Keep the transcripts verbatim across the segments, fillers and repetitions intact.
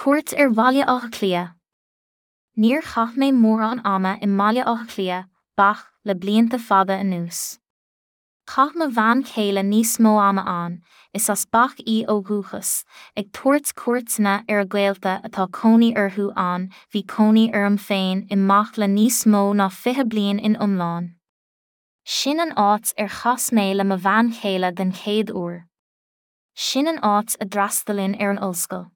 Cuairt ar Bhaile Átha Cliath. Níor chaith mé mórán ama i mBaile Átha Cliath, B A C, le blianta fada anuas. Chaith mo bhean chéile níos mó ama ann, is as B A C í ó dhúchas, ag tabhairt cuairteanna ar a gaolta atá cónaí orthu ann. Bhí cónaí orm féin i mB A C le níos mó ná fiche bliain in iomlán. Sin an áit ar chas mé le mo bhean chéile den chéad uair. Sin an áit a d'fhreastalainn ar an ollscoil.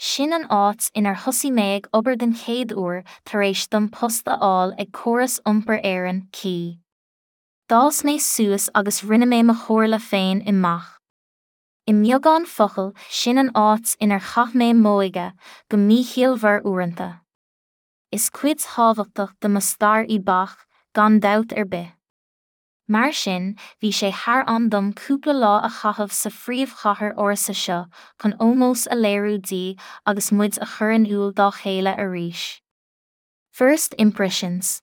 Sin an áit inar thosaigh mé ag obair den chéad uair tar éis dom post a fháil ag Córas Iompair Éireann, C I E. D'fhás mé suas agus rinne mé mo chomhairle féin i mB A C. I mbeagán focal, sin an áit inar chaith mé m'óige, go míchiallmhar uaireanta. Is cuid thábhachtach de mo stair í B A C, gan dabht ar bith. Mar sin, bhí sé thar am dom cúpla lá a chaitheamh sa phríomhchathair ársa seo chun ómós a léiriú di agus muid a chur in iúl dá chéile arís. First Impressions.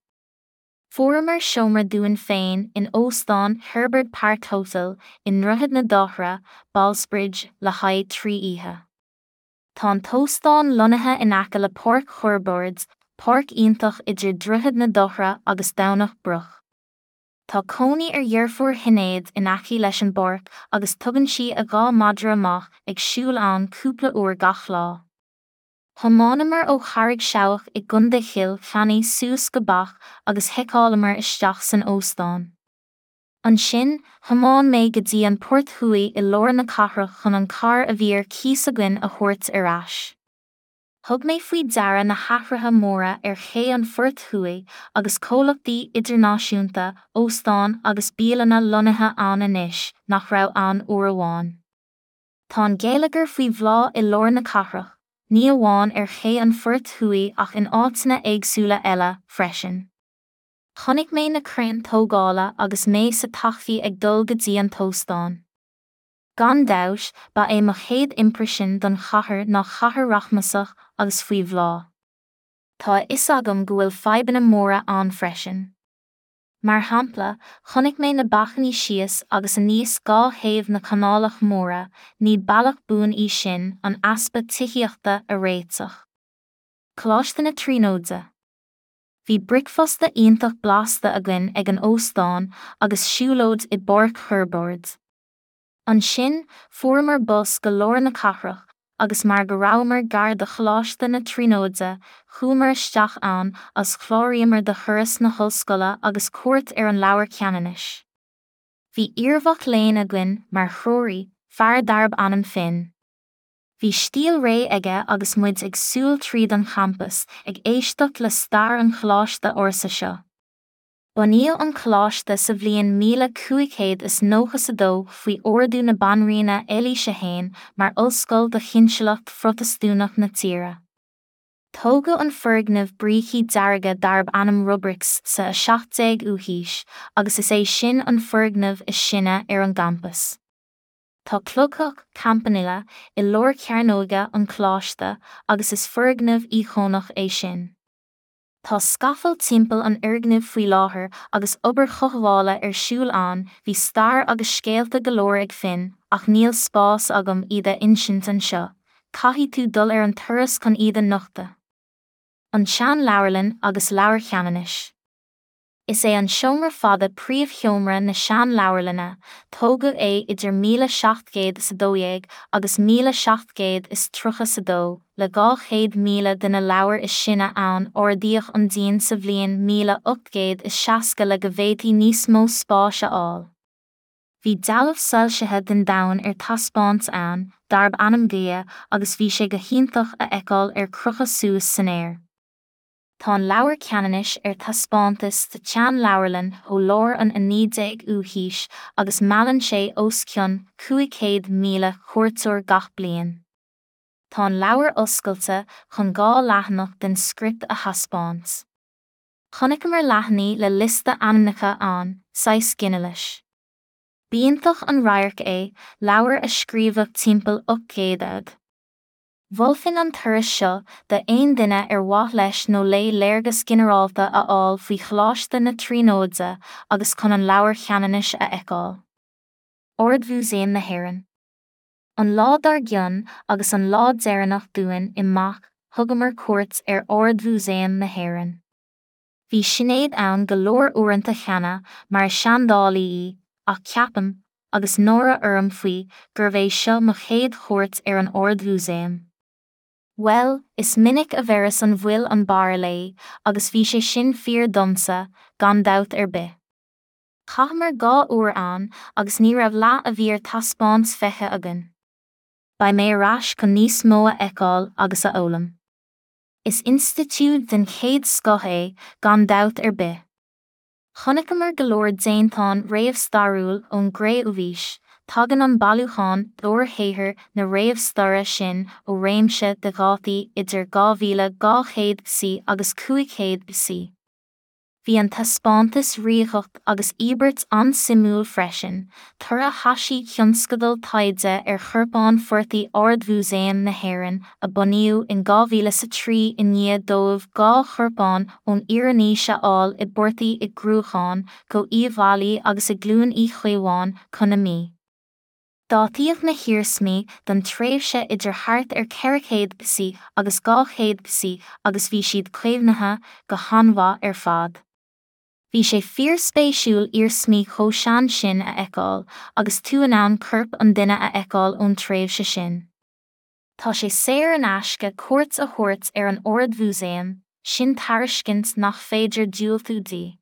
Fuaireamar seomra dúinn féin in Óstán Herbert Park Hotel i nDroichead na Dothra, Ballsbridge, le haghaidh trí oíche. Tá an t-óstán lonnaithe in aice le Páirc Horbuird, páirc iontach idir Droichead na Dothra agus Domhnach Broc. Tá cónaí ar dheirfiúr Shinéad in aice leis an bpáirc agus tugann sí a dhá madra amach ag siúl ann cúpla uair gach lá. Thiomáineamar ó Charraig Seabhac i gContae Chill Chainnigh suas go B A C agus sheiceálamar isteach san óstán. Ansin, thiomáin mé go dtí an Port Thuaidh i lár na cathrach chun an carr a bhí ar cíos againn a thabhairt ar ais. Thug mé faoi deara na hathruithe móra ar ché an Phoirt Thuaidh agus comhlachtaí idirnáisiúnta, óstáin agus bialanna lonnaithe ann anois nach raibh ann uair amháin. Tá an geilleagar faoi bhláth i lár na cathrach, ní amháin ar ché an Phoirt Thuaidh ach in áiteanna éagsúla eile, freisin. Chonaic mé na craein tógála agus mé sa tacsaí ag dul go dtí an t-óstán. Gan dabht, ba é mo chéad imprisean don chathair ná cathair rachmasach agus faoi bhláth. Tá a fhios agam go bhfuil fadhbanna móra ann freisin. Mar shampla, chonaic mé na bacainní síos agus aníos dhá thaobh na canálach móire, ní bealach buan í sin an easpa tithíochta a réiteach. Coláiste na Tríonóide. Bhí bricfeasta iontach blasta againn ag an óstán agus siúlóid i bPáirc Horbuird. Ansin, fuaireamar bus go lár na cathrach, agus mar go rabhamar gar do Choláiste na Tríonóide, chuamar isteach ann agus chláraíomar do thuras na hollscoile agus cuairt ar an Leabhar Ceannanais. Bhí iarmhac léinn againn mar threoraí, fear darb ainm Finn. Bhí stíl réidh aige agus muid ag siúl tríd an champas, ag éisteacht le stair an choláiste ársa seo. Bunaíodh an coláiste sa bhliain míle cúig chéad is nócha a dó faoi ordú na Banríona Eilís a haon mar ollscoil do chinsealacht Phrotastúnach na tíre. Tógadh an foirgneamh brící dearga darb ainm Rubrics sa a seacht déag ú haois agus is é sin an foirgneamh is sine ar an gcampas. Tá cloigtheach, campanile, i lár cearnóige an choláiste agus is foirgneamh íocónach é sin. Tá scafall timpeall an fhoirgnimh faoi láthair agus obair chothabhála ar siúl ann. Bhí stair agus scéalta go leor ag Finn, ach níl spás agam iad a insint anseo, caithfidh tú dul ar an turas chun iad a nochtadh. An tSean-Leabharlann agus Leabhar Cheannanais. Is é an Seomra Fada príomhsheomra na Sean-Leabharlainne, tógadh é idir míle seacht gcéad is a dó dhéag agus míle seacht gcéad is tríocha a dó, le dhá chéad míle de na leabhair is sine ann. Ardaíodh an díon sa bhliain míle ocht gcéad is seasca le go bhféadfaí níos mó spáis a fháil. Bhí dealbh soilsithe den domhan ar taispeáint ann, darb ainm Gaia, agus bhí sé go hiontach a fheiceáil ar crochadh suas san aer. Tá an Leabhar Ceannanais ar taispeántas sa tSean-Leabharlann ó lár an a naoi déag ú haois agus meallann sé os cionn cúig chéad míle cuairteoir gach bliain. Tá an leabhar oscailte chun dhá leathanach den script a thaispeáint. Chonaiceamar leathanaigh le liosta ainmneacha ann, saghas ginealais. B'iontach an radharc é, leabhar a scríobhadh timpeall ocht gcéad A D. Mholfainn an turas seo d'aon duine ar mhaith leis nó léi léargas ginearálta a fháil faoi Choláiste na Tríonóide agus chun an Leabhar Cheannanais a fheiceáil. Ard-Mhúsaem na hÉireann. An lá dár gcionn agus an lá deireanach dúinn i mBac thugamar cuairt ar Ard-Mhúsaem na hÉireann. Bhí Sinéad ann go leor uaireanta cheana mar is seandálaí í, ach ceapaim, agus náire orm faoi, gurbh é seo mo chéad chuairt ar an Ard-Mhúsaem. Bhuel, is minic a bheireas an bhfuil an barr léi, agus bhí sé sin fíor domsa, gan dabht ar bith. Chaitheamar dhá uair ann agus ní raibh leath a bhí ar taispeáint feicthe againn. Beidh mé ar ais chun níos mó a fheiceáil agus a fhoghlaim. Is institiúid den chéad scoth é, gan dabht ar bith. Chonaiceamar go leor déantán réamhstairiúil ón gCré-umhaois, tagann an bailiúchán d'fhóirshaothair na réamhstaire sin ó réimse de dhátaí idir dhá mhíle dhá chéad B C agus cúig chéad B C. Bhí an taispeántas Ríogacht agus Íobairt an-suimiúil freisin, toradh thaisí thionscadal taighde ar chorpáin phortaigh Ard-Mhúsaem na hÉireann a bunaíodh in dhá mhíle is a trí i ndiaidh dóibh dhá chorpán ón Iarannaois a fháil i bportaigh i gCruachán, Co Uíbh Fhailí agus i gCluain Uí Chaomháin, Co na Mí. Dátaíodh na hiarsmaí don tréimhse idir thart ar ceithre chéad B C agus dhá chéad B C agus bhí siad caomhnaithe go han-mhaith ar fad. Bhí sé fíorspéisiúil iarsmaí chomh sean sin a fheiceáil agus tú in ann corp an duine a fheiceáil ón tréimhse sin. Tá sé saor in aisce cuairt a thabhairt ar an Ard-Mhúsaem, sin tairiscint nach féidir diúltú di.